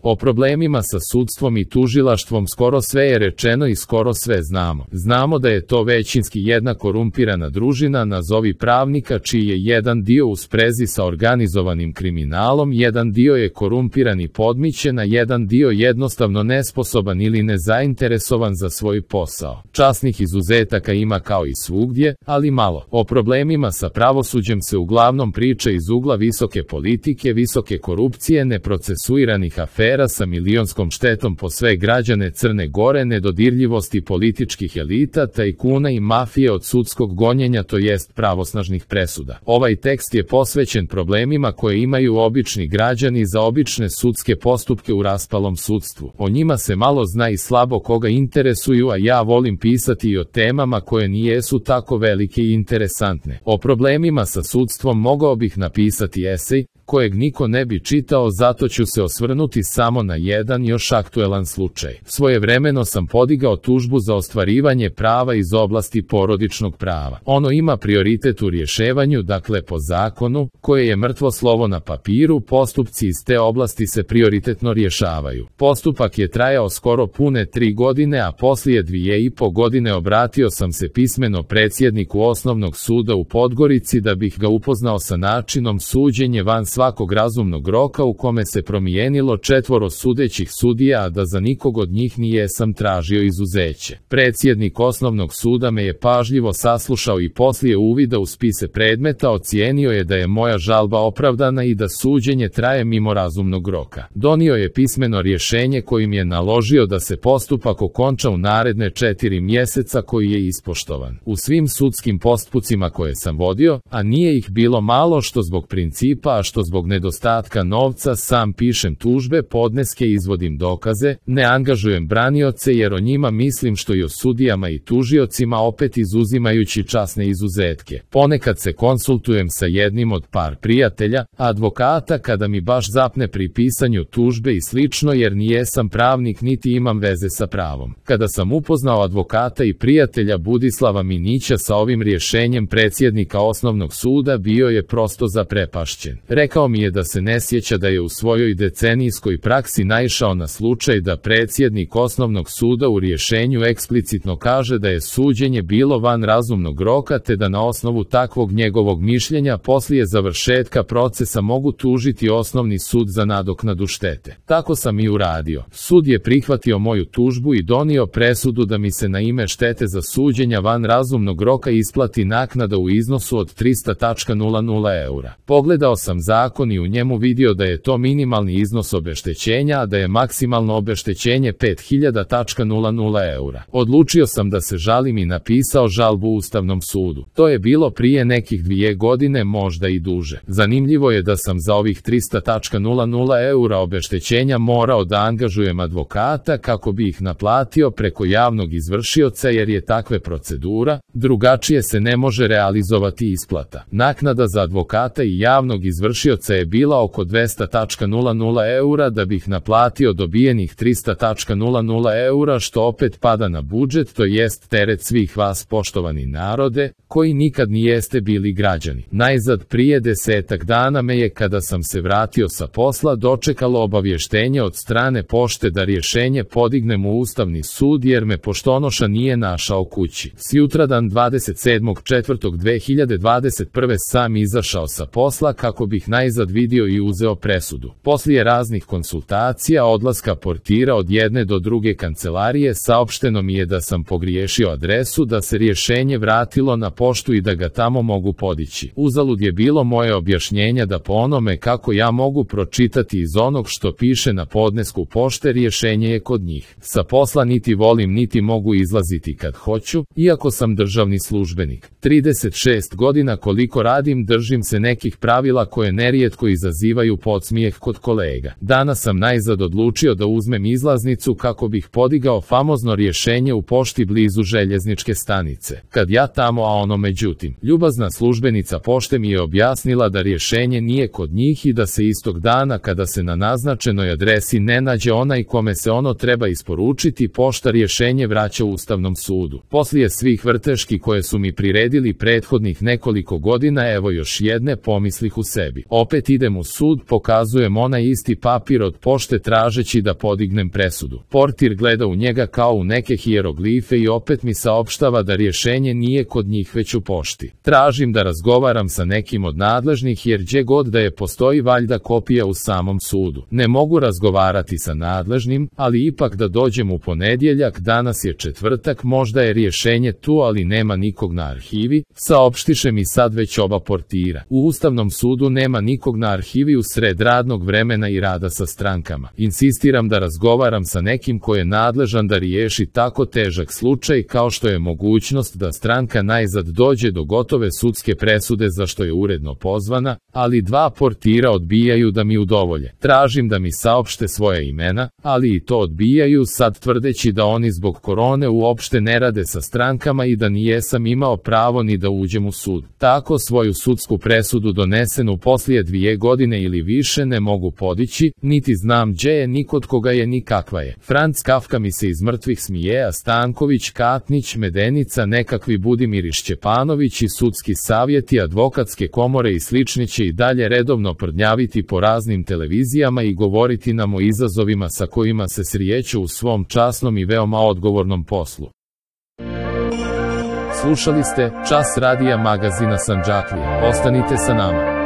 O problemima sa sudstvom i tužilaštvom skoro sve je rečeno i skoro sve znamo. Znamo da je to većinski jedna korumpirana družina, nazovi pravnika, čiji je jedan dio u sprezi sa organizovanim kriminalom, jedan dio je korumpiran i podmićen, a jedan dio jednostavno nesposoban ili nezainteresovan za svoj posao. Časnih izuzetaka ima kao i svugdje, ali malo. O problemima sa pravosuđem se uglavnom priča iz ugla visoke politike, visoke korupcije, neprocesuiranih afera sa milionskom štetom po sve građane Crne Gore, nedodirljivosti političkih elita, tajkuna i mafije od sudskog gonjenja, to jest pravosnažnih presuda. Ovaj tekst je posvećen problemima koje imaju obični građani za obične sudske postupke u raspalom sudstvu. O njima se malo zna i slabo koga interesuju, a ja volim pisati i o temama koje nijesu tako velike i interesantne. O problemima sa sudstvom mogao bih napisati esej, kojeg niko ne bi čitao, zato ću se osvrnuti samo na jedan još aktuelan slučaj. Svojevremeno sam podigao tužbu za ostvarivanje prava iz oblasti porodičnog prava. Ono ima prioritet u rješavanju, dakle po zakonu, koje je mrtvo slovo na papiru, postupci iz te oblasti se prioritetno rješavaju. Postupak je trajao skoro pune 3 godine, a poslije 2,5 godine obratio sam se pismeno predsjedniku Osnovnog suda u Podgorici da bih ga upoznao sa načinom suđenja van svakog razumnog roka u kome se promijenilo 4 sudećih sudija, a da za nikog od njih nijesam tražio izuzeće. Predsjednik Osnovnog suda me je pažljivo saslušao i poslije uvida u spise predmeta ocijenio je da je moja žalba opravdana i da suđenje traje mimo razumnog roka. Donio je pismeno rješenje kojim je naložio da se postupak okonča u naredne 4 mjeseca, koji je ispoštovan. U svim sudskim postupcima koje sam vodio, a nije ih bilo malo, što zbog principa, a što zbog nedostatka novca, sam pišem tužbe, podneske, izvodim dokaze, ne angažujem branioce jer o njima mislim što i o sudijama i tužiocima, opet izuzimajući časne izuzetke. Ponekad se konsultujem sa jednim od par prijatelja, advokata, kada mi baš zapne pri pisanju tužbe i slično, jer nijesam pravnik niti imam veze sa pravom. Kada sam upoznao advokata i prijatelja Budislava Minića sa ovim rješenjem predsjednika Osnovnog suda, bio je prosto zaprepašćen. Rekao mi je da se ne sjeća da je u svojoj decenijskoj praksi naišao na slučaj da predsjednik Osnovnog suda u rješenju eksplicitno kaže da je suđenje bilo van razumnog roka, te da na osnovu takvog njegovog mišljenja poslije završetka procesa mogu tužiti Osnovni sud za nadoknadu štete. Tako sam i uradio. Sud je prihvatio moju tužbu i donio presudu da mi se na ime štete za suđenja van razumnog roka isplati naknada u iznosu od 300.00 eura. Pogledao sam zakon i u njemu vidio da je to minimalni iznos obeštećenja, a da je maksimalno obeštećenje 5.000.00 eura. Odlučio sam da se žalim i napisao žalbu Ustavnom sudu. To je bilo prije nekih 2 godine, možda i duže. Zanimljivo je da sam za ovih 300.00 eura obeštećenja morao da angažujem advokata kako bi ih naplatio preko javnog izvršioca, jer je takva procedura, drugačije se ne može realizovati isplata. Naknada za advokata i javnog izvršioca je bila oko 200.00 eura da bih naplatio dobijenih 300.00 eura, što opet pada na budžet, to jest teret svih vas, poštovani narode, koji nikad nijeste bili građani. Najzad prije 10 dana me je, kada sam se vratio sa posla, dočekalo obavještenje od strane pošte da rješenje podignem u Ustavni sud, jer me poštonoša nije našao kući. Sjutradan 27.4.2021. sam izašao sa posla kako bih najzad vidio i uzeo presudu. Poslije raznih konsultacija, odlaska portira od jedne do druge kancelarije, saopšteno mi je da sam pogriješio adresu, da se rješenje vratilo na poštu i da ga tamo mogu podići. Uzalud je bilo moje objašnjenja da po onome kako ja mogu pročitati iz onog što piše na podnesku pošte, rješenje je kod njih. Sa posla niti volim niti mogu izlaziti kad hoću, iako sam državni službenik. 36 godina koliko radim, držim se nekih pravila koje nerijetko izazivaju podsmijeh kod kolega. Danas sam najzad odlučio da uzmem izlaznicu kako bih podigao famozno rješenje u pošti blizu željezničke stanice. Kad ja tamo, a ono međutim, ljubazna službenica pošte mi je objasnila da rješenje nije kod njih i da se istog dana, kada se na naznačenoj adresi ne nađe onaj kome se ono treba isporučiti, pošta rješenje vraća Ustavnom sudu. Poslije svih vrteški koje su mi priredili prethodnih nekoliko godina, evo još jedne, pomislih u sebi. Opet idem u sud, pokazujem onaj isti papir od pošte tražeći da podignem presudu. Portir gleda u njega kao u neke hijeroglife i opet mi saopštava da rješenje nije kod njih već u pošti. Tražim da razgovaram sa nekim od nadležnih jer gdje god da je postoji valjda kopija u samom sudu. Ne mogu razgovarati sa nadležnim, ali ipak da dođem u ponedjeljak, danas je četvrtak, možda je rješenje tu, ali nema nikog na arhivi, saopštiše mi sad već oba portira. U Ustavnom sudu nema nikog na arhivi u sred radnog vremena i rada sa strankama. Insistiram da razgovaram sa nekim ko je nadležan da riješi tako težak slučaj kao što je mogućnost da stranka najzad dođe do gotove sudske presude za što je uredno pozvana, ali dva portira odbijaju da mi udovolje. Tražim da mi saopšte svoja imena, ali i to odbijaju, sad tvrdeći da oni zbog korone uopšte ne rade sa strankama i da nijesam imao pravo ni da uđem u sud. Tako svoju sudsku presudu donesenu poslije 2 godine ili više ne mogu podići, niti znam gdje je, ni kod koga je, ni kakva je. Franc Kafka mi se iz mrtvih smije, a Stanković, Katnić, Medenica, nekakvi Budimir Šćepanović i sudski savjeti, advokatske komore i slični će i dalje redovno prdnjaviti po raznim televizijama i govoriti nam o izazovima sa kojima se srijeću u svom časnom i veoma odgovornom poslu. Slušali ste Čas radija magazina Sandžaklija. Ostanite sa nama.